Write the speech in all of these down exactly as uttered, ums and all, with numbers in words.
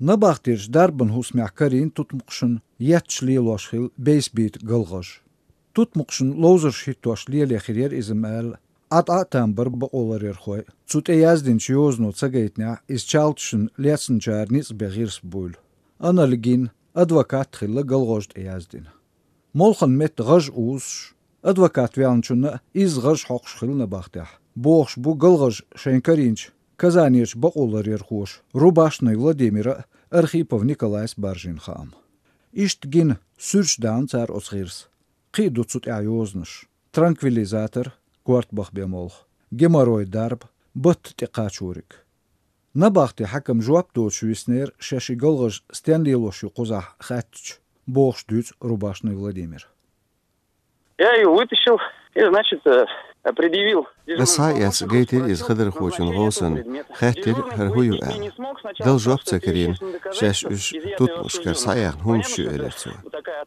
Набахтерчу дарбан хӀусамехь карийна тутмакхашна етташ лелош хилла бейсбийта галгӀаж. Тутмакхашна ловзарш хӀиттош лело хир яра иза ма-аьлла, Ӏа-Ӏа а там бара бакъоларъярхой. Цу тӀе яздинчу йозано ца гайтинехь, иза чалташна лецначара ницкъ бен гӀирс буйла. Анальгин, адвокат а хилла галгӀажо тӀе яздина. Молханан метта гӀаж узуш, адвокат ваьллачунна а изза гӀаж хьокхуш хилла набахтехь, бохуш бу галгӀаж шайна карийначу Казанерчу бакъоларъярхоша Рубашный Владимира а, Архипов Николайс а баржийна хаам. Иштта гина, суьрташ даьхна цара оцу гӀирса. Кхин а ду цу тӀехь йозанаш: транквилизатор, корта баха бен молха, геморрой дарба, батта тӀекхачориг. Набахтин хьаькам жоп доцуш виснера, шаьш и галгӀаж стенна лелош ю кхузахь хаьттича, бохуш дуьйцу Рубашный Владимира. Я её вытащил и, значит, э, предъявил. Ас схьа а эцна гайтира иза хадархочун гӀовсанна, хаьттира, хӀара хӀун ю аьлла. Дала жоп ца карийна, шаьш уьш тутмакхашкара схьаяьхна хӀуманаш ю, элира цо.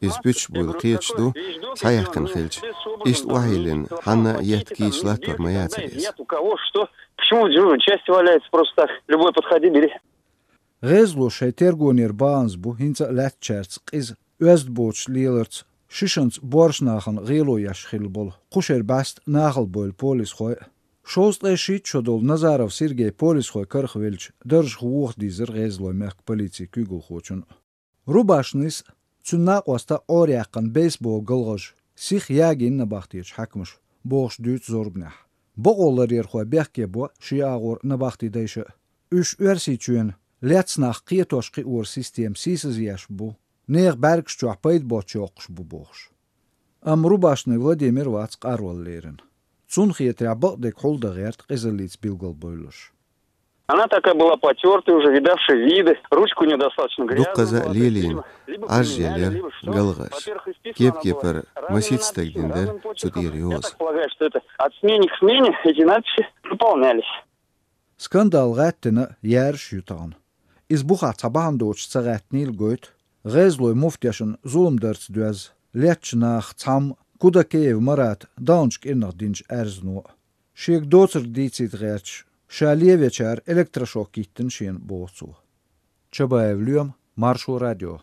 Иза пуьташ буйла кхеташ ду, схьаяьккхина хилча. Иштта охьайиллина, хьанна а етта кийча латтор ма яцара иза. Нет у кого что, почему в дежурной части валяется просто так? Любой подходи, бери. ГӀезало шайн тергонера баханза бу хӀинца а лаьттачаьрца къиза, оьзда боцуш леларца, шишанца боьрша нахана гӀело еш хилла болу кху шеран бӀаьста нахала бевлла полисхой а. Шовзткъе шийтта шо долу Назаров Сергей полисхойн карах велча, даржах воха дийзира гӀезалойн мехкан полицин куьйгалхочун а. Рубашныйс а, цуьнан накъоста а Ӏораяьккхина бейсбол галгӀаж сиха ягийна набахтечу хьаькамаша, бохуш дуьйцу зорбанехь. Бакъоларъярхой бехке бо шен агӀор набахти дайша а. Уьш Оьрсийчоьнан лецна нах кхетош-кхиоран система сийсазъеш бу, нехан бӀаьргаш чохь пайда боцуш йоккхуш бу бохуш. Амма Рубашный Владимир вац къарвала лерина. Цунна хетарехь, бакъдерг хьулдан гӀерта къизаллица билгалбевлларш. Она такая была потёртая, уже видавшая виды, ручка у неё достаточно грязная была, то есть либо, либо лелийна, либо Ӏаж примеряли, елира либо что. ГалгӀаж. Во-первых, исписана была, кеп-кепара раненая, масийтта стаг дина дара цу тӀера йоза. Я так полагаю, что это от смены к смене эти надписи наполнялись. Скандал гӀаьттина а, яьржаш а ю тахана. Иза бухахь цхьа бахьана доцуш ца гӀаьттинийла гойту, гӀезалойн муфтешна зулам дарца доьзна, леттачу нахах цхьамма Кудакеев Марата даханчу кӀирнах динчу аьрзнон а. Шега доцург дийцийта гӀерташ, ша лен вечара электрошок йиттина шена, боху цо. Чабаев Лоьма, Маршо радио.